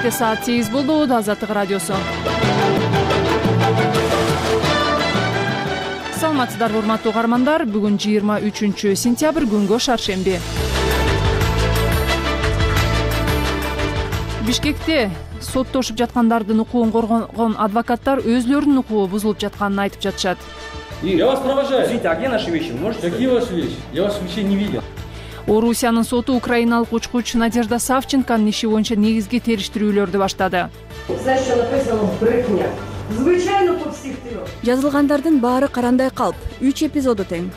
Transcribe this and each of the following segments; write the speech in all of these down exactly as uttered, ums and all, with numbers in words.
Кечте саат сегиз болду. Азаттык радиосу. Саламатсыздарбы урматтуу угармандар. Бүгүн жыйырма үчүнчү сентябрь, күнгө шаршемби. Бишкекте соттошуп жаткандардын укугун коргогон адвокаттар өзлөрүнүн укугу бузулуп жатканын айтып жатышат. Я вас провожаю. Извините, а где наши вещи? Можете? Какие ваши вещи? Я ваших вещей не видел. Орусиянын соту украиналык учкуч Надежда Савченконун иши боюнча негизги териштирүүлөрдү баштады. Знаешь, что написано в брехня? Звычайно по всех трех. Жазылгандардын баары карандай калп. үч эпизоду тең.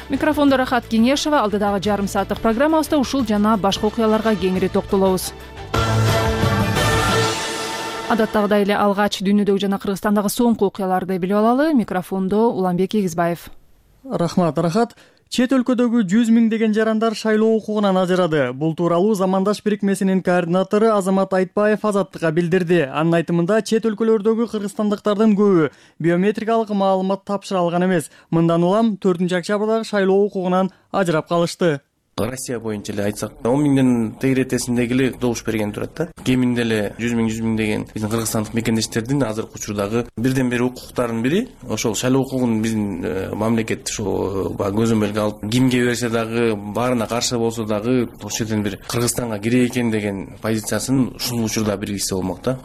Микрофондо Рахат Кенешева. Алдыдагы жарым сааттык программабызда ушул жана башка окуяларга кеңири токтолобуз. Адаттагыдай эле алгач дүйнөдөгү жана Кыргызстандагы соңку окуяларды билип алалы. Микрофондо Уланбек Эгизбаев. Рахмат, Рахат. Чет өлкөдөгү жүз миңдеген жарандар шайлоо укугунан ажырады. Бул тууралуу Замандаш бирикмесинин координатору Азамат Айтбаев Азаттыкка билдирди. Анын айтымында, чет өлкөлөрдөгү кыргызстандыктардын көбү биометрикалык маалымат тапшыра алган эмес. Мындан улам төртүнчү октябрдагы шайлоо укугунан ажырап калышты. Россия боюнча эле айтсак, он миңден тегиретесиндеги эле добуш берген турат да. Кеминде эле жүз миң жүз миң деген биздин кыргызстандык мекендештердин азыркы учурдагы бирден бир укуктарынын бири ошол шайлоо укугун биздин мамлекет ошо көзөмөлгө алып, кимге берсе дагы, баарына каршы болсо дагы ошол жерден бир Кыргызстанга кире экен деген позициясын ушул учурда биргизсе болмок да.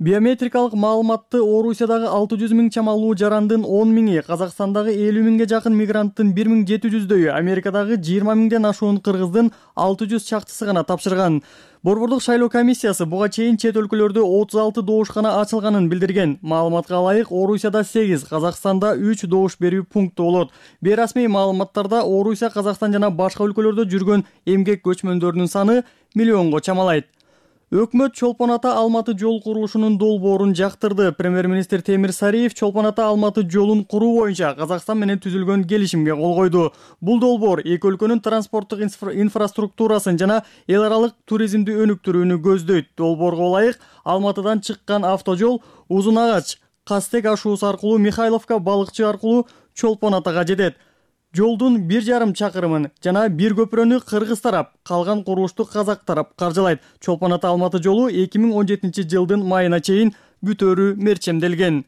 Биометрикалык маалыматты Орусиядагы алты жүз миң чамалуу жарандын он миңи, Казакстандагы элүү миңге жакын мигранттын бир миң жети жүздөйү, Америкадагы жыйырма миңден ашуун кыргыздын алты жүз чактысы гана тапшырган. Борбордук шайлоо комиссиясы буга чейин чет өлкөлөрдө отуз алты добушкана ачылганын билдирген. Маалыматка ылайык, Орусияда сегиз, Казакстанда үч добуш берүү пункту болот. Бейрасмий маалыматтарда Орусия, Казакстан жана башка өлкөлөрдө жүргөн эмгек көчмөндөрүнүн саны миллионго чамалайт. Өкмөт Чолпон ата Алматы жол курулушунун долбоорун жактырды. Премьер-министр Темир Сариев Чолпон ата Алматы жолун куруу боюнча Казакстан менен түзүлгөн келишимге кол койду. Бул долбоор эки өлкөнүн транспорттук инфраструктурасын жана эл аралык туризмди өнүктүрүүнү көздөйт. Долбоорго ылайык, Алматыдан чыккан автожол Узун агач, Кастек ашуусу аркылуу Михайловка, Балыкчы аркылуу Чолпон атага жетет. Жолдун бир жарым чакырымын жана бир көпүрөнү кыргыз тарап, калган курулушту казак тарап каржылайт. Чолпон ата Алматы жолу эки миң он жетинчи жылдын майына чейин бүтөөрү мерчемделген.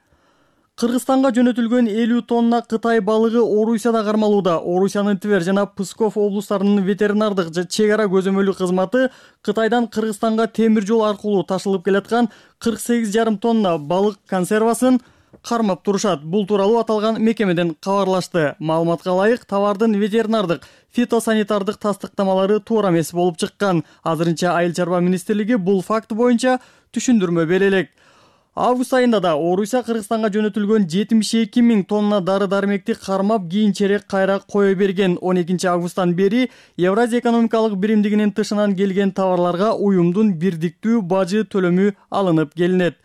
Кыргызстанга жөнөтүлгөн элүү тонна Кытай балыгы Орусияда кармалууда. Орусиянын Твер жана Псков облустарынын ветеринардык чек ара көзөмөлү кызматы Кытайдан Кыргызстанга темир жол аркылуу ташылып келаткан кырк сегиз жарым тонна балык консервасын кармап турушат. Бул тууралуу аталган мекемеден кабарлашты. Маалыматка ылайык, товардын ветеринардык, фитосанитардык тастыктамалары туура эмес болуп чыккан. Азырынча Айыл чарба министрлиги бул факт боюнча түшүндүрмө бере элек. Август айында да Орусия Кыргызстанга жөнөтүлгөн жетимиш эки миң тонна дары-дармекти кармап, кийинчерээк кайра кое берген. он экинчи августтан бери Евразия экономикалык биримдигинин тышынан келген товарларга уюмдун бирдиктүү бажы төлөмү алынып келинет.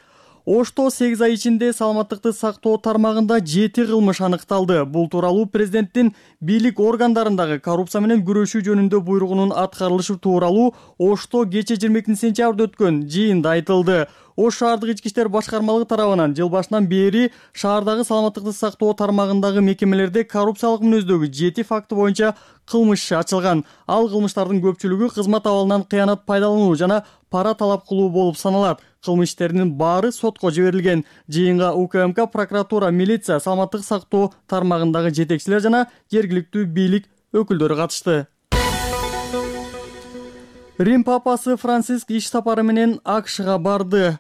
Ошто сегиз ай ичинде саламаттыкты сактоо тармагында жети кылмыш аныкталды. Бул тууралуу президенттин бийлик органдарындагы коррупция менен күрөшүү жөнүндө буйругунун аткарылышы тууралуу Ошто кечээ жыйырма экинчи сентябрда өткөн жыйында айтылды. Ош шаардык ички иштер башкармалыгы тарабынан жыл башынан бери шаардагы саламаттыкты сактоо тармагындагы мекемелерде коррупциялык мүнөздөгү жети факты боюнча кылмыш ачылган. Ал кылмыштардын көпчүлүгү кызмат абалынан кыянат пайдалануу жана пара талап кылуу болуп саналат. Кылмыш иштеринин баары сотко жиберилген. Жыйынга УКМК, прокуратура, милиция, саламаттык сактоо тармагындагы жетекчилер жана жергиликтүү бийлик өкүлдөрү катышты. Рим папасы Франциск иш сапары менен АКШга барды.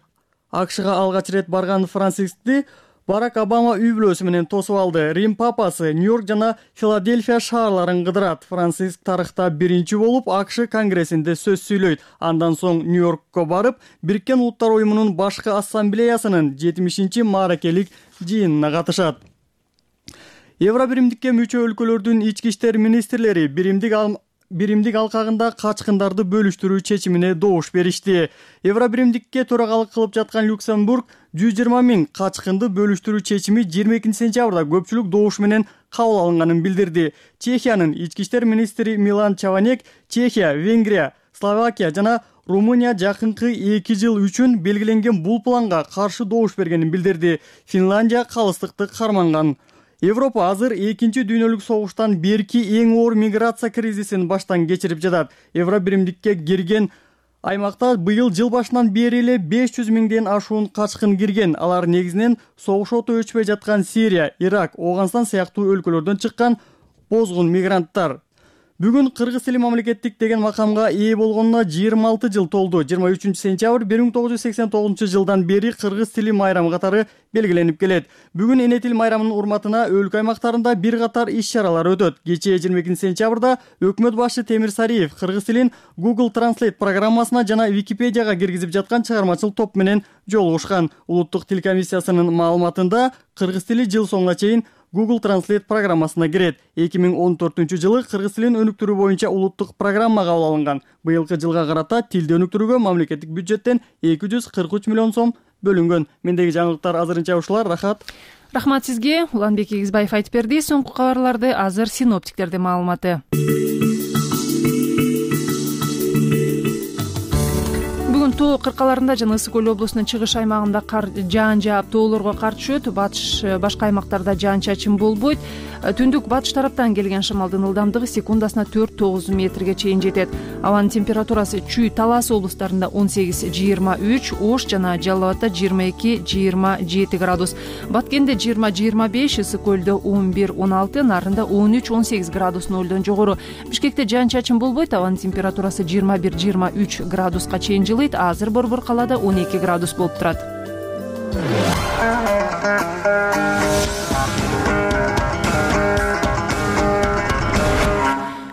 АКШга алгач ирет барган Францискти Барак Обама үй бүлөсү менен тосуп алды. Рим папасы Нью-Йорк жана Филадельфия шаарларын кыдырат. Франциск тарыхта биринчи болуп АКШ конгрессинде сөз сүйлөйт. Андан соң Нью-Йоркко барып, Бириккен Улуттар уюмунун башкы ассамблеясынын жетимишинчи мааракелик жыйынына катышат. Евробиримдикке мүчө өлкөлөрдүн ички иштер министрлери биримдик биримдик алкагында качкындарды бөлүштүрүү чечимине добуш беришти. Евробиримдикке төрагалык кылып жаткан Люксембург жүз жыйырма миң качкынды бөлүштүрүү чечими жыйырма экинчи сентябрда көпчүлүк добуш менен кабыл алынганын билдирди. Чехиянын ички иштер министри Милан Чаванек Чехия, Венгрия, Словакия жана Румыния жакынкы эки жыл үчүн белгиленген бул планга каршы добуш бергенин билдирди. Финландия калыстыкты карманган. Европа азыр экинчи дүйнөлүк согуштан берки эң оор миграция кризисин баштан кечирип жатат. Евробиримдикке кирген Аймакта быйыл жыл башынан бери эле беш жүз миңден ашуун качкын кирген. Алар негизинен согуш оту өчпөй жаткан Сирия, Ирак, Ооганстан сыяктуу өлкөлөрдөн чыккан бозгун мигранттар. Бүгүн Кыргыз тили мамлекеттик деген макамга ээ болгонуна жыйырма алты жыл толду. жыйырма үчүнчү сентябрь бир миң тогуз жүз сексен тогузунчу жылдан бери Кыргыз тили майрамы катары белгиленип келет. Бүгүн эне тил майрамынын урматына өлкө аймактарында бир катар иш-чаралар өтөт. Кечээ жыйырма экинчи сентябрда өкмөт башчы Темир Сариев кыргыз тилин Google Translate программасына жана Википедияга киргизип жаткан чыгармачыл топ менен жолугушкан. Улуттук тил комиссиясынын маалыматында кыргыз тили жыл соңуна чейин Google Translate программасына кирет. эки миң он төртүнчү жылы кыргыз тилин өнүктүрүү боюнча улуттук программа кабыл алынган. Быйылкы жылга карата тилди өнүктүрүүгө мамлекеттик бюджеттен эки жүз кырк үч миллион сом бөлүнгөн. Мендеги жаңылыктар азырынча ушулар. Рахат. Рахмат сизге. Уланбек Эгизбаев айтып берди. Соңку кабарларды азыр синоптиктердин маалыматы. Бүгүн тоо кыркаларында жана Ысык көл облусунун чыгыш аймагында кар жаан жаап, тоолорго кар түшөт. Батыш башка аймактарда жаан-чачын болбойт. Түндүк батыш тараптан келген шамалдын ылдамдыгы секундасына төрт тогуз метрге чейин жетет. Абанын температурасы Чүй, Талас облустарында он сегиз жыйырма үч, Ош жана Жалал Абадда жыйырма эки жыйырма жети градус. Баткенде жыйырма жыйырма беш, Ысык көлдө он бир он алты, Нарында он үч он сегиз градус нөлдөн жогору. Бишкекте жаан-чачын болбойт. Абанын температурасы жыйырма бир жыйырма үч градуска чейин жылыйт. Азыр Борбор калаада он эки градус болуп турат.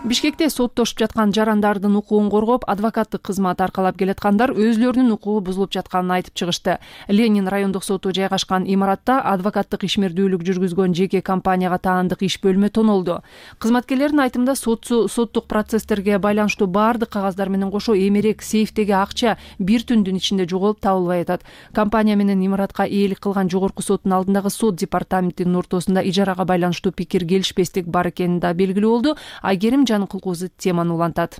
Бишкекте соттошуп жаткан жарандардын укугун коргоп, адвокаттык кызмат аркалап келаткандар өзлөрүнүн укугу бузулуп жатканын айтып чыгышты. Ленин райондук соту жайгашкан имаратта адвокаттык ишмердүүлүк жүргүзгөн жеке компанияга таандык иш бөлмө тонолду. Кызматкерлердин айтымында соттук процесстерге байланыштуу баардык кагаздар менен кошо эмерек сейфтеги акча бир түндүн ичинде жоголуп табылбай атат. Компания менен имаратка ээлик кылган жогорку соттун алдындагы сот департаментинин ортосунда ижарага байланыштуу пикир келишпестик бар экени да белгилүү болду. Айгерим Кулкузу теманы улантат.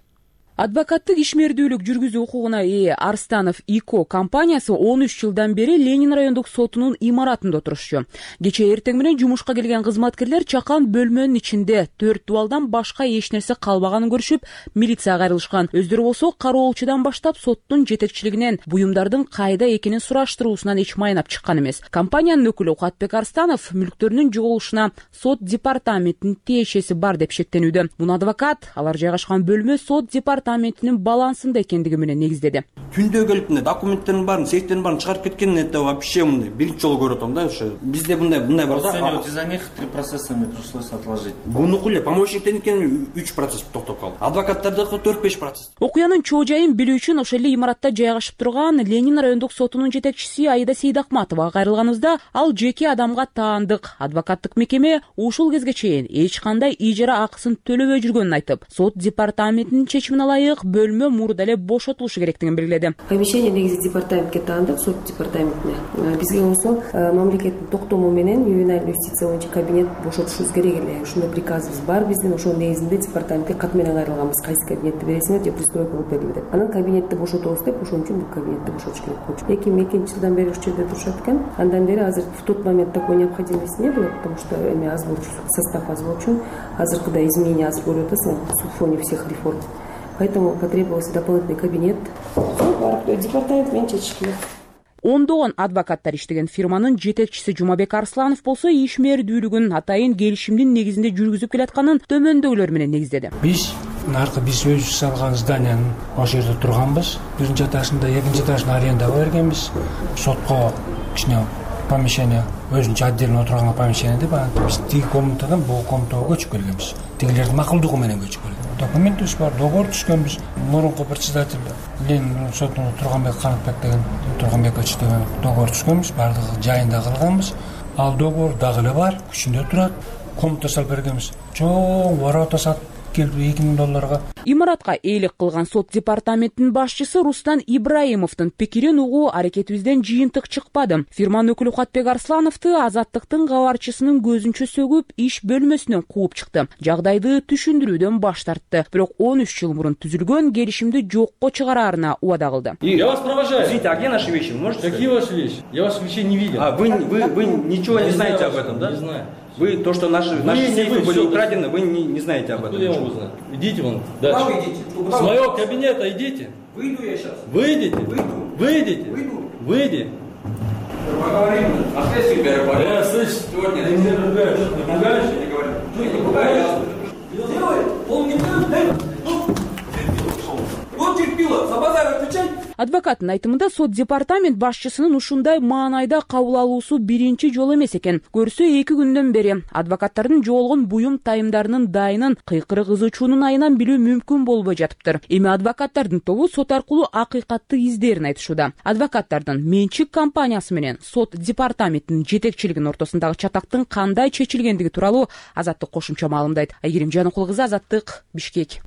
Адвокаттык ишмердүүлүк жүргүзүү укугуна ээ Арстанов ИКО компаниясы он үч жылдан бери Ленин райондук сотунун имаратында отурушчу. Кечээ эртең менен жумушка келген кызматкерлер чакан бөлмөнүн ичинде төрт дубалдан башка эч нерсе калбаганын көрүшүп, милицияга кайрылышкан. Өздөрү болсо кароолчудан баштап соттун жетекчилигинен буюмдардын кайда экенин сураштыруусунан эч майнап чыккан эмес. Компаниянын өкүлү Куатбек Арстанов мүлктөрүнүн жоголушуна сот департаментинин тиешеси бар деп шектенүүдө. Муну адвокат алар жайгашкан бөлмө сот департаментинин балансында экендиги менен негиздеди. Түндө келип мына документтердин баарын, сейфтердин баарын чыгарып кеткен, это вообще мындай биринчи жолу көрүп атам да, ошо. Бизде мындай мындай бар да. Из-за них три процесса мне пришлось отложить. Бунуку эле помощниктердин үч процесс токтоп калды. Адвокаттардыкы төрт беш процесс. Окуянын чоо жайын билүү үчүн ошол эле имаратта жайгашып турган Ленин райондук сотунун жетекчиси Аида Сейдахматовага кайрылганыбызда, ал жеке адамга таандык адвокаттык мекеме ушул кезге чейин эч кандай ижара акысын төлөбөй жүргөнүн айтып, сот департаментинин чечимине ылайык бөлмө мурда эле бошотулушу керектигин белгиледи. Помещение негизи департаментке таандык, сот департаментине. Бизге болсо мамлекеттин токтому менен ювенальный юстиция боюнча кабинет бошотушубуз керек эле. Ушундай приказыбыз бар биздин, ошонун негизинде департаментке кат менен кайрылганбыз. Кайсы кабинетти бересиңер же пристройка кылып берилби деп. Анан кабинетти бошотобуз деп, ошон үчүн бул кабинетти бошотуш керек болчу. эки миң экинчи жылдан бери ушул жерде турушат экен. Андан бери азыр в тот момент такой необходимости не было, потому что эми аз болчу, состав аз болчу. Азыркыдай изменения азыр көрүп атасың на фоне всех реформ. Поэтому потребовался дополнительный кабинет. Департамент менен чечиш керек. Ондогон адвокаттар иштеген фирманын жетекчиси Жумабек Арсланов болсо ишмердүүлүгүн атайын келишимдин негизинде жүргүзүп келатканын төмөндөгүлөр менен негиздеди. Биз наркы биз өзүбүз салган зданиянын ошол жерде турганбыз. Биринчи этажында, экинчи этажын арендага бергенбиз. Сотко кичине помещение өзүнчө отдельно отурган помещение деп, биз тиги комнатадан бул комнатага көчүп келгенбиз. Тигилердин макулдугу менен көчүп келген. Документибиз бар, договор түшкөнбүз. Мурунку председатель Ленин сотунда Турганбек Канатбек деген Турганбекович деген договор түшкөнбүз, бардыгы жайында кылганбыз. Ал договор дагы эле бар, күчүндө турат. Комната салып бергенбиз. Чоң ворота сатып келди эки миң долларга. Имаратка ээлик кылган сот департаментинин башчысы Рустан Ибраимовдун пикирин угуу аракетибизден жыйынтык чыкпады. Фирманын өкүлү Куатбек Арслановду Азаттыктын кабарчысынын көзүнчө сөгүп, иш бөлмөсүнөн кууп чыкты. Жагдайды түшүндүрүүдөн баш тартты. Бирок он үч жыл мурун түзүлгөн келишимди жокко чыгараарына убада кылды. Я вас провожаю. Извините, а где наши вещи? Можете? Какие ваши вещи? Я ваших вещей не видел. А вы вы вы ничего не знаете об этом, да? Не знаю. Вы то, что наши наши сейфы были украдены, вы не не знаете об этом. Откуда я могу знать? Идите вон дальше. С моего кабинета идите. Выйду я сейчас. Выйдите. Выйдите. Выйди. Поговорим. А ты себя Я слышь, сегодня. ты меня ругаешь. Ты ругаешь? Не говори. Ну, не пугай. Делай. Он не будет. Вот терпила. За базар отвечай. Адвокаттын айтымында сот департамент башчысынын ушундай маанайда кабыл алуусу биринчи жолу эмес экен. Көрсө эки күндөн бери адвокаттардын жоолгон буюм тайымдарынын дайынын кыйкыры кызуучунун айынан билүү мүмкүн болбой жатыптыр. Эми адвокаттардын тобу сот аркылуу акыйкатты издерин айтышууда. Адвокаттардын менчик компаниясы менен сот департаментинин жетекчилигинин ортосундагы чатактын кандай чечилгендиги тууралуу Азаттык кошумча маалымдайт. Айгерим Жаныкул кызы, Азаттык, Бишкек.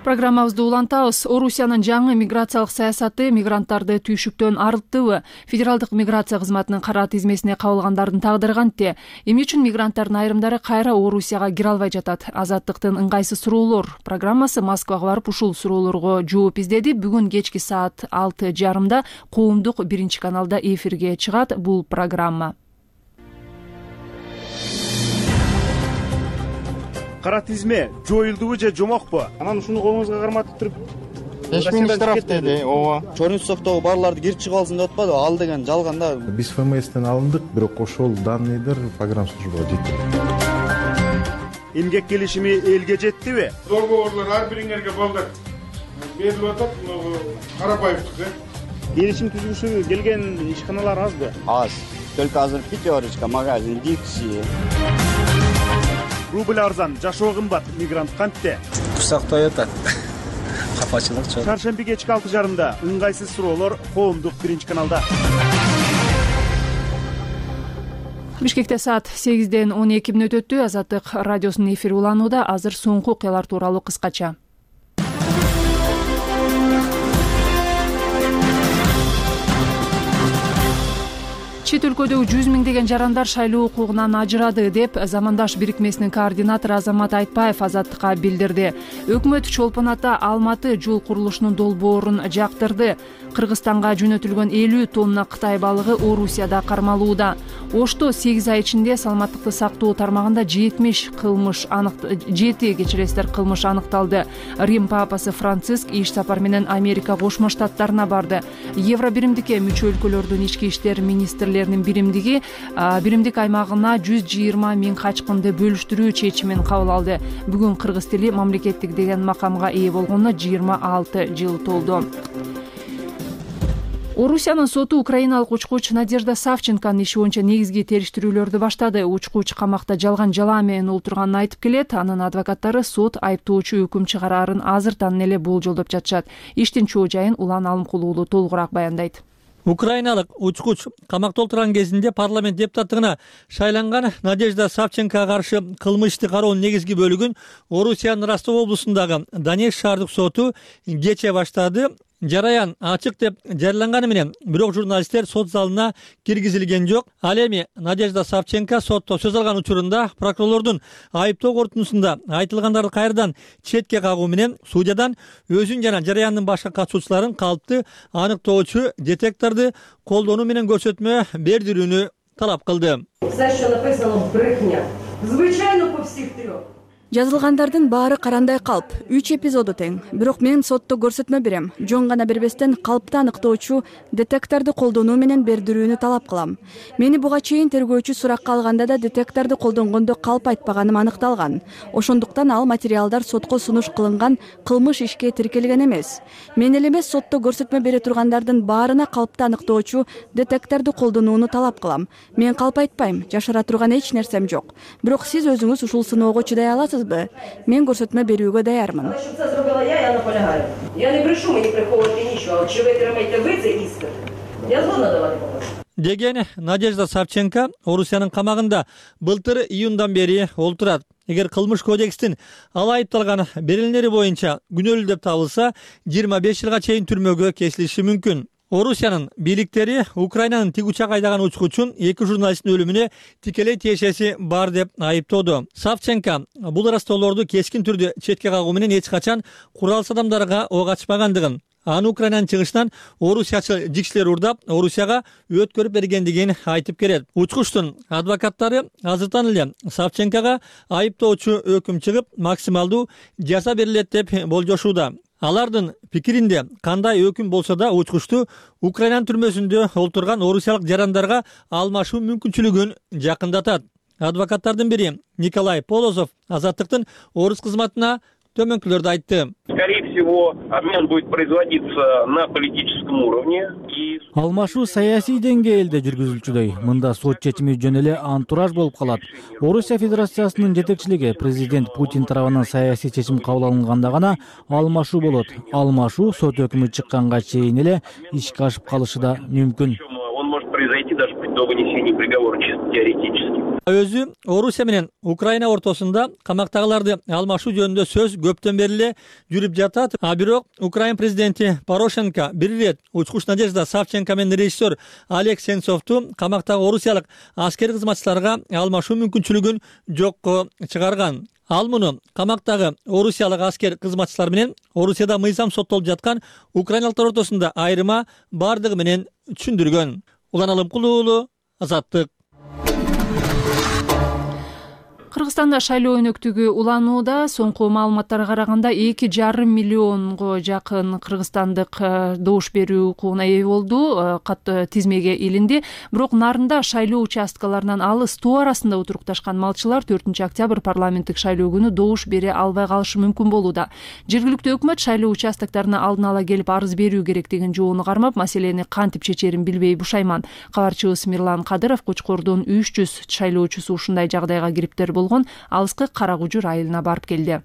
Программабызды улантабыз. Орусиянын жаңы миграциялык саясаты мигранттарды түйшүктөн арылттыбы? Федералдык миграция кызматынын кара тизмесине кабылгандардын тагдыры кантте? Эмне үчүн мигранттардын айрымдары кайра Орусияга кире албай жатат? Азаттыктын ыңгайсыз суроолор программасы Москвага барып ушул суроолорго жооп издеди. Бүгүн кечки саат алты жарымда коомдук биринчи каналда эфирге чыгат бул программа. Кара тизме жоюлдубу же жомокпу? Анан ушуну колуңузга карматып туруп беш миң штраф деди. ооба. Чорнцовдогу барларды кирип чыга алсын деп атпады. Ал деген жалган да. Биз ФМСтен алындык, бирок ошол данныйдыр погранслужбага жетти. Эмгек келишими элге жеттиби? Договорлор ар бириңерге балдар берилип атат. Карабаевдики. Келишим түзүүсү келген ишканалар азбы? Аз. Только азыр пятерочка, магазин, Дикси. Рубль арзан, жашоо кымбат, мигрант кантте? Курсактай атат. Капачылык чок. Чаршемби кечки алты жарымда ыңгайсыз суроолор коомдук биринчи каналда. Бишкекте саат сегизден он эки мүнөт өттү. Азаттык радиосунун эфири уланууда. Азыр соңку окуялар тууралуу кыскача. Чет өлкөдөгү жүз миңдеген жарандар шайлоо укугунан ажырады деп Замандаш бирикмесинин координатору Азамат Айтбаев Азаттыкка билдирди. Өкмөт Чолпон Ата Алматы жол курулушунун долбоорун жактырды. Кыргызстанга жөнөтүлгөн элүү тонна Кытай балыгы Орусияда кармалууда. Ошто сегиз ай ичинде саламаттыкты сактоо тармагында жетимиш кылмыш анык жети кечиресиздер кылмыш аныкталды. Рим папасы Франциск иш сапар менен Америка Кошмо Штаттарына барды. Евро биримдикке мүчө өлкөлөрдүн ички иштер министрлеринин биримдиги биримдик аймагына жүз жыйырма миң качкынды бөлүштүрүү чечимин кабыл алды. Бүгүн кыргыз тили мамлекеттик деген макамга ээ болгонуна жыйырма алты жыл толду. Орусиянын соту украиналык учкуч Надежда Савченконун иши боюнча негизги териштирүүлөрдү баштады. Учкуч камакта жалган жалаа менен олтурганын айтып келет. Анын адвокаттары сот айыптоочу өкүм чыгарарын азыртан эле болжолдоп жатышат. Иштин чоо жайын Улан Алымкул уулу толугураак баяндайт. Украиналык учкуч камакта отурган кезинде парламент депутаттыгына шайланган Надежда Савченкоға каршы кылмыш ишти кароонун негизги бөлүгүн Орусиянын Ростов облусундагы Донецк шаардык соту кече баштады. Жараян ачык деп жарыяланганы менен бирок журналисттер сот залына киргизилген жок. Ал эми Надежда Савченко сотто сөз алган учурунда прокурорлордун айыптоо корутундусунда айтылгандарды кайрадан четке кагуу менен судьядан өзүн жана жараяндын башка катышуучуларын калыпты аныктоочу детекторду колдонуу менен көрсөтмө бердирүүнү талап кылды. Жазылгандардын баары карандай калп, үч эпизоду тең. Бирок мен сотто көрсөтмө берем. Жон гана бербестен калпты аныктоочу детекторду колдонуу менен бердирүүнү талап кылам. Мени буга чейин тергөөчү суракка алганда да детекторду колдонгондо калп айтпаганым аныкталган. Ошондуктан ал материалдар сотко сунуш кылынган кылмыш ишке тиркелген эмес. Мен эле эмес сотто көрсөтмө бере тургандардын баарына калпты аныктоочу детекторду колдонууну талап кылам. Мен калп айтпайм, жашыра турган эч нерсем жок. Бирок сиз өзүңүз ушул сыноого чыдай аласыз. Мен көрсөтмө берүүгө даярмын. Деген Надежда Савченко Орусиянын камагында былтыр июндан бери олтурат. Эгер кылмыш кодекстин ал айыпталган берилмелери боюнча күнөөлүү деп табылса, жыйырма беш жылга чейин түрмөгө кесилиши мүмкүн. Орусиянын бийликтери Украинанын тик учак айдаган учкучун эки журналисттин өлүмүнө тикелей тиешеси бар деп айыптоодо. Савченко бул ырастоолорду кескин түрдө четке кагуу менен эч качан куралсыз адамдарга ок ачпагандыгын, аны Украинанын чыгышынан орусиячыл жикчилер урдап, Орусияга өткөрүп бергендигин айтып келет. Учкучтун адвокаттары азыртан эле Савченкого айыптоочу өкүм чыгып, максималдуу жаза берилет деп болжошууда. Алардын пикиринде кандай өкүм болсо да учкучту Украинанын түрмөсүндө олтурган орусиялык жарандарга алмашуу мүмкүнчүлүгүн жакындатат. Адвокаттардын бири Николай Полозов Азаттыктын орус кызматына төмөнкүлөрдү айтты. Скорее всего, обмен будет производиться на политическом уровне. Алмашуу саясий деңгээлде жүргүзүлчүдөй. Мында сот чечими жөн эле антураж болуп калат. Орусия Федерациясынын жетекчилиги президент Путин тарабынан саясий чечим кабыл алынганда гана алмашуу болот. Алмашуу сот өкүмү чыкканга чейин эле ишке ашып калышы да мүмкүн. Он может произойти даже до вынесения приговора, чисто теоретически. Өзү Орусия менен Украина ортосунда камактагыларды алмашуу жөнүндө сөз көптөн бери эле жүрүп жатат. А бирок Украина президенти Порошенко бир ирет учкуч Надежда Савченко менен режиссер Олег Сенцовду камактагы орусиялык аскер кызматчыларга алмашуу мүмкүнчүлүгүн жокко чыгарган. Ал муну камактагы орусиялык аскер кызматчылар менен Орусияда мыйзам соттолуп жаткан украиналыктар ортосунда айырма бардыгы менен түшүндүргөн. Улан Алымкулуу уулу, Азаттык. Кыргызстанда шайлоо өнөктүгү уланууда. Соңку маалыматтарга караганда эки жарым миллионго жакын кыргызстандык добуш берүү укугуна ээ болду, катты тизмеге илинди. Бирок нарында шайлоо участкаларынан алыс тоо арасында отурукташкан малчылар төртүнчү октябрь парламенттик шайлоо күнү добуш бере албай калышы мүмкүн болууда. Жергиликтүү өкмөт шайлоо участоктарына алдын ала келип арыз берүү керектигин жоону кармап, маселени кантип чечерин билбей бушайман. Кабарчыбыз Мирлан Кадыров Кочкордун үч жүз шайлоочусу ушундай жагдайга кириптер болгон алыскы Кара Кужур айылына барып келди.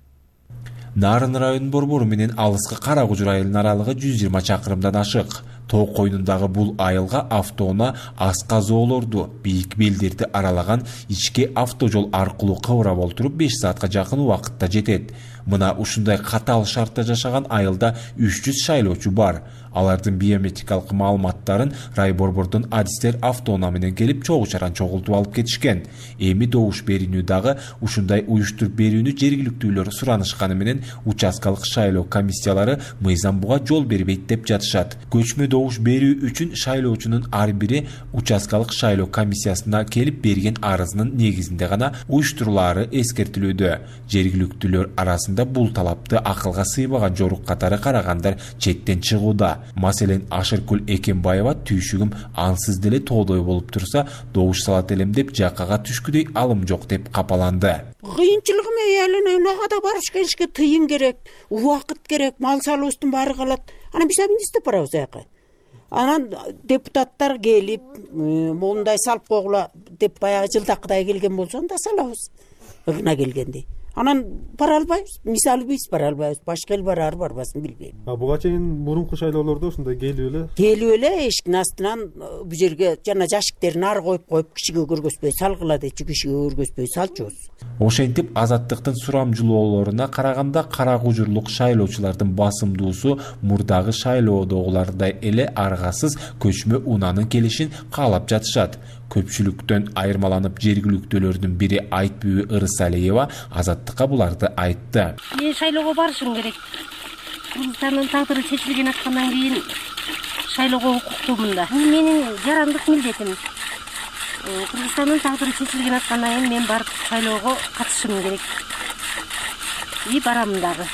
Нарын районунун борбору менен алыскы Кара Кужур айылынын аралыгы жүз жыйырма чакырымдан ашык. Тоо койнундагы бул айылга автоунаа асказоолорду, бийик белдерди аралаган ички автожол аркылуу кыбырап олтуруп беш саатка жакын убакытта жетет. Мына ушундай катаал шартта жашаган айылда үч жүз шайлоочу бар. Алардын биометрикалык маалыматтарын райборбордун адистер автоунаа менен келип чогуу чаран чогултуп алып кетишкен. Эми добуш берүүнү дагы ушундай уюштуруп берүүнү жергиликтүүлөр суранышканы менен участкалык шайлоо комиссиялары мыйзам буга жол бербейт деп жатышат. Көчмө добуш берүү үчүн шайлоочунун ар бири участкалык шайлоо комиссиясына келип берген арызынын негизинде гана уюштурулаары эскертилүүдө. Жергиликтүүлөр арасында бул талапты акылга сыйбаган жорук катары карагандар четтен чыгууда. Маселен Ашыркүл Экенбаева түйшүгүм ансыз деле тоодой болуп турса, добуш салат элем деп жакага түшкүдөй алым жок деп капаланды. Кыйынчылыгым эле унага барыш келишке тыйын керек, убакыт керек, мал салуубуздун баары калат. Анан биз эмне издеп барабыз аяка? Анан депутаттар келип, моундай салып койгула деп баягы жылдакыдай келген болсо анда салабыз. Ыгына келгенде. Анан бара албайбыз, мисалы биз бара албайбыз, башка эл барар барбасын билбейм. А буга чейин мурунку шайлоолордо ушундай келип эле? Келип эле эшиктин астынан бу жерге жана жашиктерин ары коюп коюп кишиге көргөзбөй салгыла дечи, кишиге көргөзбөй салчубуз. Ошентип Азаттыктын сурамжылоолоруна караганда Кара Кужурлук шайлоочулардын басымдуусу мурдагы шайлоодогулардай эле аргасыз көчмө унаанын келишин каалап жатышат. Көпчүлүктөн айырмаланып жергиликтүүлөрдүн бири Айтбүбү Ырысалиева Азаттыкка буларды айтты. Мен шайлоого барышым керек. Кыргызстандын тагдыры чечилген аткандан кийин шайлоого укуктуумун да. Бул менин жарандык милдетим. Кыргызстандын тагдыры чечилген аткандан кийин мен барып шайлоого катышышым керек. И барам дагы.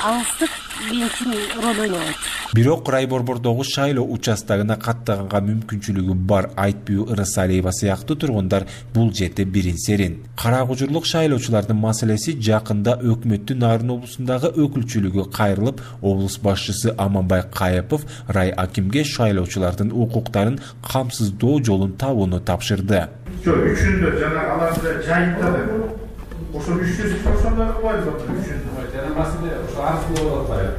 Алыстык мен үчүн роль ойнобойт. Бирок райборбордогу шайлоо участогуна каттаганга мүмкүнчүлүгү бар Айтбүбү Ырысалиева сыяктуу тургундар бул жерде бирин серин. Кара Кужурлук шайлоочулардын маселеси жакында өкмөттүн Нарын облусундагы өкүлчүлүгү кайрылып, облус башчысы Аманбай Кайыпов рай акимге шайлоочулардын укуктарын камсыздоо жолун табууну тапшырды. Жок, үчүндө жана аларды жайыптады. Ошо үч жүз процент кылбайбыз үчүн. Жана маселе ошо арыз болуп атпайбы?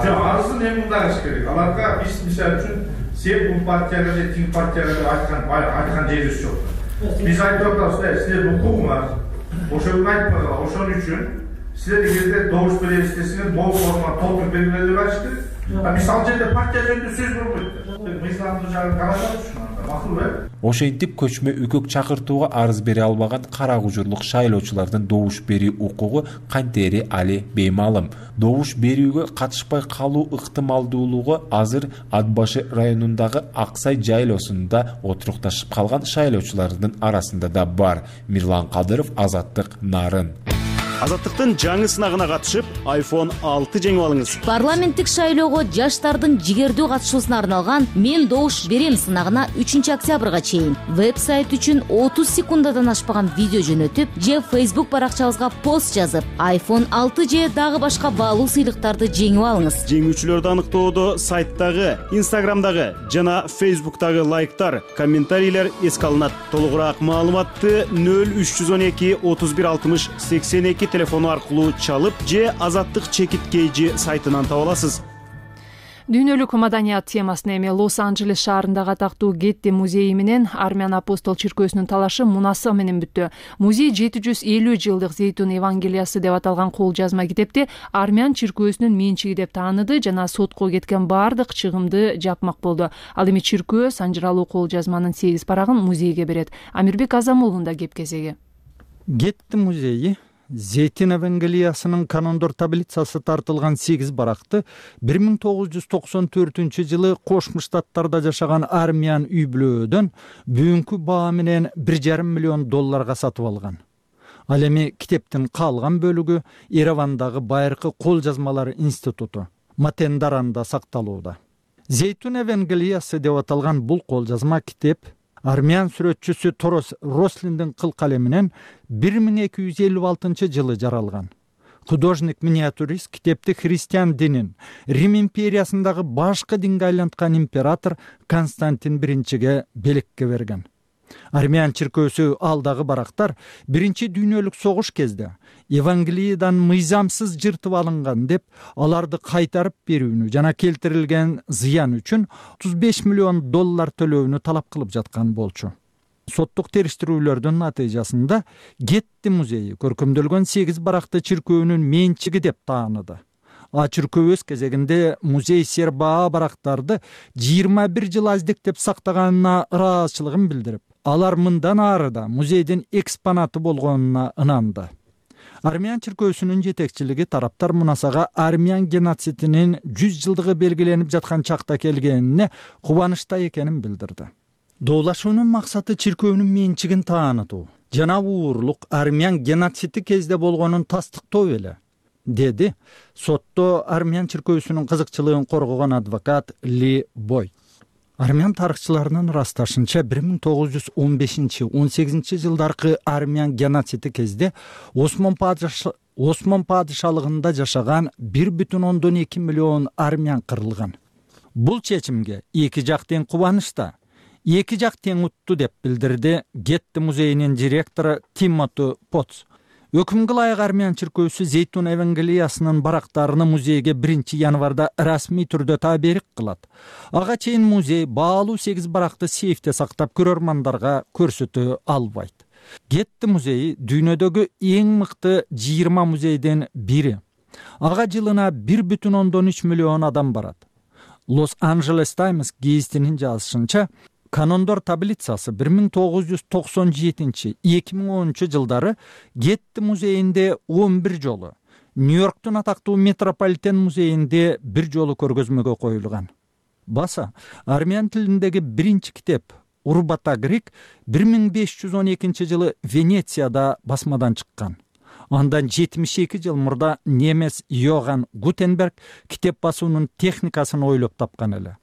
Жок, арызын эми мындайыш керек. Аларга биз мисалы үчүн сен бул партияга же тиң партияга деп айткан айткан жерибиз жок. Биз айтып атабыз, силердин укугуңар ошону айтпагыла, ошон үчүн силер эгерде добуш беребиз десеңер, могул форма толтуруп бергиле деп айтышты. Биз ал жерде партия жөнүндө сөз болбойт. Мыйзамдуу жагын карашат ушунда. Макул э? Ошентип көчмө үкөк чакыртууга арыз бере албаган кара кужурлук шайлоочулардын добуш берүү укугу кантери али беймалым. Добуш берүүгө катышпай калуу ыктымалдуулугу азыр Ат башы районундагы Аксай жайлоосунда отурукташып калган шайлоочулардын арасында да бар. Мирлан Кадыров, Азаттык, Нарын. Азаттыктын жаңы сынагына катышып, айфон алты жеңип алыңыз. Парламенттик шайлоого жаштардын жигердүү катышуусуна арналган Мен добуш берем сынагына үчүнчү октябрга чейин веб-сайт үчүн отуз секундадан ашпаган видео жөнөтүп, же Facebook баракчабызга пост жазып, айфон алты же дагы башка баалуу сыйлыктарды жеңип алыңыз. Жеңүүчүлөрдү аныктоодо сайттагы, Instagramдагы жана Facebook'тагы лайктар, комментарийлер эске алынат. Толугураак маалыматты нөл үч жүз он эки отуз бир алтымыш сексен эки телефону аркылуу чалып же Азаттык чекит кейжи сайтынан таба аласыз. Дүйнөлүк маданият темасына эми Лос-Анджелес шаарындагы атактуу Гетти музейи менен Армян апостол чиркөөсүнүн талашы мунасы менен бүттү. Музей жети жүз элүү жылдык Зейтун Евангелиясы деп аталган кол жазма китепти Армян чиркөөсүнүн менчиги деп тааныды жана сотко кеткен баардык чыгымды жапмак болду. Ал эми чиркөө санжыралуу кол жазманын сегиз парагын музейге берет. Амирбек Азамулунда кеп кезеги. Гетти музейи Зейтун Евангелиясынын канондор таблицасы тартылган сегиз баракты бир миң тогуз жүз токсон төртүнчү жылы Кошмо Штаттарда жашаган армян үй бүлөөдөн бүгүнкү баа менен бир жарым миллион долларга сатып алган. Ал эми китептин калган бөлүгү Еревандагы байыркы кол жазмалар институту Матендаранда сакталууда. Зейтун Евангелиясы деп аталган бул кол жазма китеп армян сүрөтчүсү Торос Рослиндин кыл калеминен бир миң эки жүз элүү алтынчы жылы жаралган. Художник-миниатюрист китепти христиан динин, Рим империясындагы башкы динге айланткан император Константин биринчиге белекке берген. Армян чиркөөсү алдагы барактар биринчи дүйнөлүк согуш кезде Евангелиядан мыйзамсыз жыртып алынган деп аларды кайтарып берүүнү жана келтирилген зыян үчүн отуз беш миллион доллар төлөөнү талап кылып жаткан болчу. Соттук териштирүүлөрдүн натыйжасында Гетти музейи көркөмдөлгөн сегиз баракты чиркөөнүн менчиги деп тааныды. А чиркөө өз кезегинде музей сербаа барактарды жыйырма бир жыл аздектеп сактаганына ыраазычылыгын билдирип, алар мындан ары да музейдин экспонаты болгонуна ынанды. Армян чиркөөсүнүн жетекчилиги тараптар мунасага армян геноцидинин жүз жылдыгы белгиленип жаткан чакта келгенине кубанычта экенин билдирди. Доолашуунун максаты чиркөөнүн менчигин таанытуу жана уурлук армян геноциди кезде болгонун тастыктоо эле, деди сотто армян чиркөөсүнүн кызыкчылыгын коргогон адвокат Ли Бой. Армян тарыхчыларынын ырасташынча бир миң тогуз жүз он бешинчи он сегизинчи жылдаркы армян геноциди кезде Осман падыша Осман падышалыгында жашаган бир бүтүн ондон эки миллион армян кырылган. Бул чечимге эки жак тең кубанычта, эки жак тең утту деп билдирди Гетти музейинин директору Тимоти Потс. Өкүмгө ылайык армян чиркөөсү Зейтун Евангелиясынын барактарыны музейге биринчи январда расмий түрдө таберик кылат. Ага чейин музей баалуу сегиз баракты сейфте сактап көрөрмандарга көрсөтө албайт. Гетти музейи дүйнөдөгү эң мыкты жыйырма музейден бири. Ага жылына бир бүтүн ондон үч миллион адам барат. Лос-Анджелес Таймс гезитинин жазышынча, канондор таблицасы бир миң тогуз жүз токсон жетинчи эки миң онунчу жылдары Гетти музейинде он бир жолу, Нью-Йорктун атактуу метрополитен музейинде бир жолу көргөзмөгө коюлган. Баса, армян тилиндеги биринчи китеп Урбата Грек бир миң беш жүз он экинчи жылы Венецияда басмадан чыккан. Андан жетимиш эки жыл мурда немес Йоган Гутенберг китеп басуунун техникасын ойлоп тапкан эле.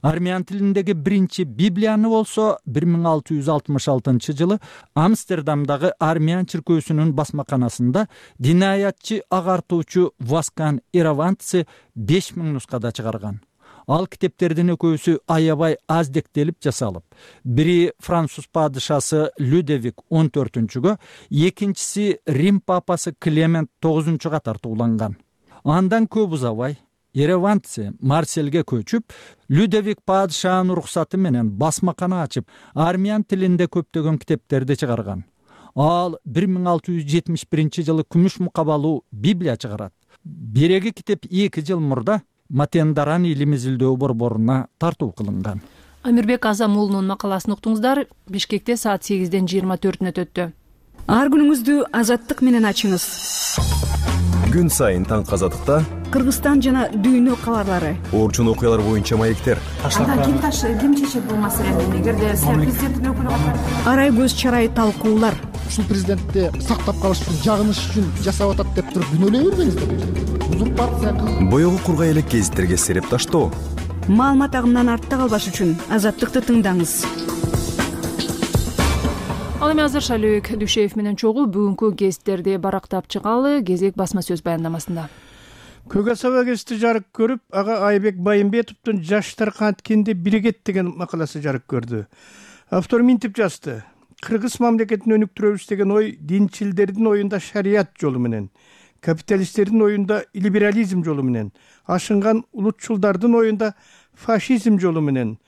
Армян тилиндеги биринчи Библияны болсо бир миң алты жүз алтымыш алтынчы жылы Амстердамдагы армян чиркөөсүнүн басмаканасында динаятчы агартуучу Васкан Иравантсы беш миң нускада чыгарган. Ал китептердин экөөсү аябай аздектелип жасалып, бири француз падышасы Людовик он төртүнчүгө, экинчиси Рим папасы Клемент тогузунчуга тартууланган. Андан көп узабай Еревантсе Марсельге көчүп, Людовик падышанын уруксаты менен басмакана ачып, армян тилинде көптөгөн китептерди чыгарган. Ал бир миң алты жүз жетимиш биринчи жылы күмүш мукабалуу Библия чыгарат. Береги китеп эки жыл мурда Матендаран илим изилдөө борборуна тартуу кылынган. Амирбек Азам уулунун макаласын уктуңуздар. Бишкекте саат сегизден жыйырма төртүнө өтөттү. Ар күнүңүздү азаттык менен ачыңыз. Күн сайын таң казатыкта Кыргызстан жана дүйнө кабарлары. Орчун окуялар боюнча маектер. Анда ким таш ким чечет бул маселени? Эгерде сиз президенттин өкүлү катары арай көз чарай талкуулар. Ушул президентти сактап калыш үчүн, жагыныш үчүн жасап атат деп туруп күнөөлөй бербеңиздер. Узурпация. Боёгу кургай элек гезиттерге сереп таштоо. Маалымат агымынан артта калбаш үчүн азаттыкты тыңдаңыз. Ал эми азыр Шалибек Дүйшеев менен чогуу бүгүнкү гезиттерди барактап чыгалы. Кезек басма сөз баяндамасында. Көк Асаба гезити жарык көрүп, ага Айбек Байымбетовдун «Жаштар канткенде биригет» деген макаласы жарык көрдү. Автор минтип жазды: Кыргыз мамлекетин өнүктүрөбүз деген ой динчилдердин оюнда шарият жолу менен, капиталисттердин оюнда либерализм жолу менен, ашынган улутчулдардын оюнда фашизм жолу менен,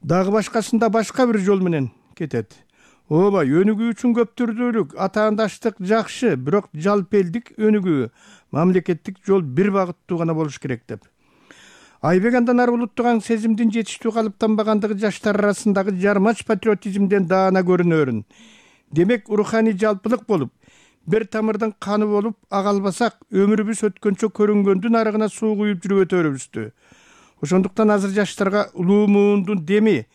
дагы башкасында башка бир жол менен кетет. Ооба, өнүгүү үчүн көптүрдүүлүк, атаандаштык жакшы, бирок жалпы элдик өнүгүү, мамлекеттик жол бир багыттуу гана болуш керек деп. Айбек андан ары улуттук сезимдин жетиштүү калыптанбагандыгы жаштар арасындагы жармач патриотизмден даана көрүнөрүн. Демек, руханий жалпылык болуп, бир тамырдын каны болуп ага албасак, өмүрүбүз өткөнчө көрүнгөндүн арыгына суу куюп жүрүп өтөрүбүздү. Ошондуктан азыр жаштарга улуу муундун деми,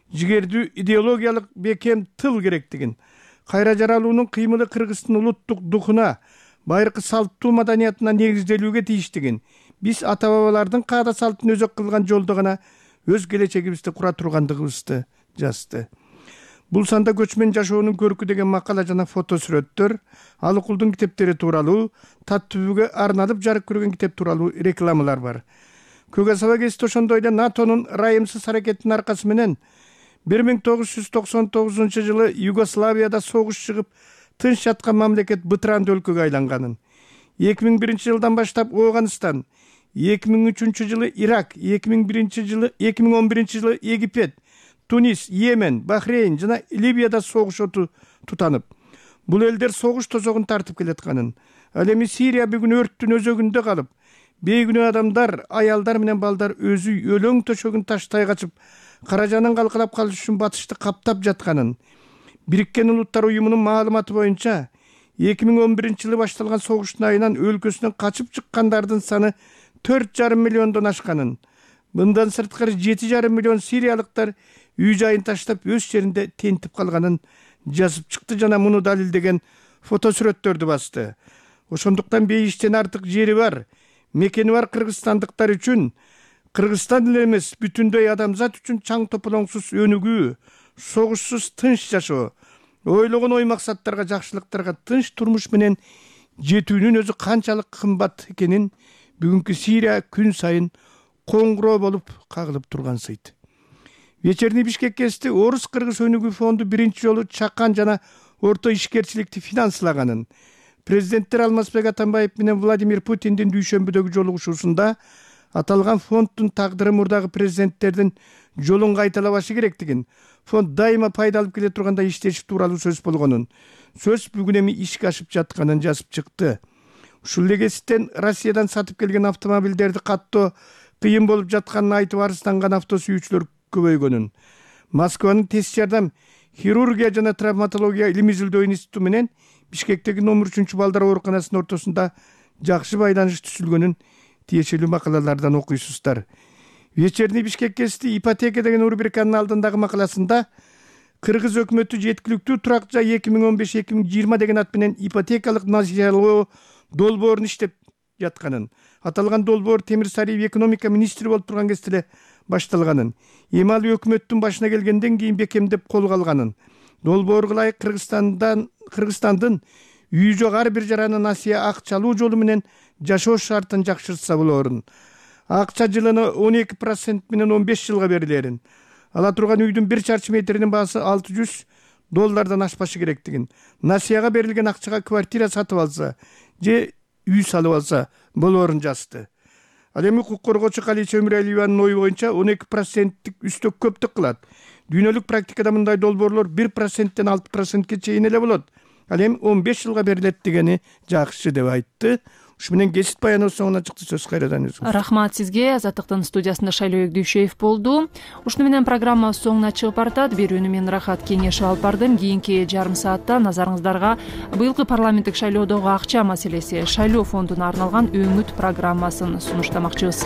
жигердүү идеологиялык бекем тыл керектигин, кайра жаралуунун кыймылы Кыргыздын улуттук духуна, байыркы салттуу маданиятына негизделүүгө тийиштигин, биз ата-бабалардын каада салтын өзөк кылган жолдо гана өз келечегибизди кура тургандыгыбызды жазды. Бул санда көчмөн жашоонун көркү деген макала жана фото сүрөттөр, Алыкулдун китептери тууралуу, Таттүбүгө арналып жарык көргөн китеп тууралуу рекламалар бар. Көк Асаба гезити ошондой эле НАТОнун ырайымсыз аракетинин аркасы менен бир миң тогуз жүз токсон тогузунчу жылы Югославияда согуш чыгып, тынч жаткан мамлекет бытыранды өлкөгө айланганын, эки миң биринчи жылдан баштап Ооганстан, эки миң үчүнчү жылы Ирак, эки миң биринчи жылы эки миң он биринчи жылы Египет, Тунис, Йемен, Бахрейн жана Ливияда согуш оту тутанып, бул элдер согуш тозогун тартып келатканын, ал эми Сирия бүгүн өрттүн өзөгүндө калып, бейгүнөө адамдар, аялдар менен балдар өзү өлөң төшөгүн таштай качып, каражанын калкалап калыш үчүн батышты каптап жатканын, Бириккен Улуттар уюмунун маалыматы боюнча эки миң он биринчи жылы башталган согуштун айынан өлкөсүнөн качып чыккандардын саны төрт жарым миллиондон ашканын, мындан сырткары жети жарым миллион сириялыктар үй жайын таштап өз жеринде тентип калганын жазып чыкты жана муну далилдеген фото сүрөттөрдү басты. Ошондуктан бейиштен артык жери бар, мекени бар кыргызстандыктар үчүн, Кыргызстан эле эмес, бүтүндөй адамзат үчүн чаң тополоңсуз өнүгүү, согушсуз тынч жашоо, ойлогон ой максаттарга, жакшылыктарга тынч турмуш менен жетүүнүн өзү канчалык кымбат экенин бүгүнкү Сирия күн сайын коңгуроо болуп кагылып тургансыйт. Вечерний Бишкек гезити Орус-Кыргыз өнүгүү фонду биринчи жолу чакан жана орто ишкерчиликти финансылаганын, президенттер Алмазбек Атамбаев менен Владимир Путиндин дүйшөмбүдөгү жолугушуусунда аталган фонддун тагдыры мурдагы президенттердин жолун кайталабашы керектигин, фонд дайыма пайда алып келе турганда иштеши тууралуу сөз болгонун, сөз бүгүн эми ишке ашып жатканын жазып чыкты. Ушул эле гезиттен Россиядан сатып келген автомобилдерди каттоо кыйын болуп жатканын айтып арызданган авто сүйүүчүлөр көбөйгөнүн, Москванын тез жардам хирургия жана травматология илим изилдөө институту менен Бишкектеги номер үчүнчү балдар ооруканасынын ортосунда жакшы байланыш түзүлгөнүн тиешелүү макалалардан окуйсуздар. Вечерний Бишкек гезити ипотека деген рубриканын алдындагы макаласында Кыргыз өкмөтү жеткиликтүү турак жай эки миң он беш эки миң жыйырма деген ат менен ипотекалык насыялоо долбоорун иштеп жатканын, аталган долбоор Темир Сариев экономика министри болуп турган кезде эле башталганын, эми ал өкмөттүн башына келгенден кийин бекемдеп колго алганын, долбоорго ылайык Кыргызстандан Кыргызстандын үй жок ар бир жараны насыя акчалуу жолу менен жашоо шартын жакшыртса болоорун, акча жылына он эки процент менен он беш жылга берилерин, ала турган үйдүн бир чарчы метринин баасы алты жүз доллардан ашпашы керектигин, насыяга берилген акчага квартира сатып алса же үй салып алса болоорун жазды. Ал эми укук коргоочу Калича Өмүралиеванын ою боюнча он эки проценттик үстөк көптүк кылат. Дүйнөлүк практикада мындай долбоорлор бир проценттен алты процентке чейин эле болот. Ал эми он беш жылга берилет дегени жакшы деп айтты. ушу менен кесип баяныбыз соңуна чыкты. Сөз кайрадан өзүңүз. Рахмат сизге. Азаттыктын студиясында Шайлоо Эгдүүшеев болду. Ушуну менен программабыз соңуна чыгып баратат. Берүүнү мен Рахат Кеңешев алып бардым. Кийинки жарым саатта назарыңыздарга быйылкы парламенттик шайлоодогу акча маселеси, шайлоо фондуна арналган өңүт программасын сунуштамакчыбыз.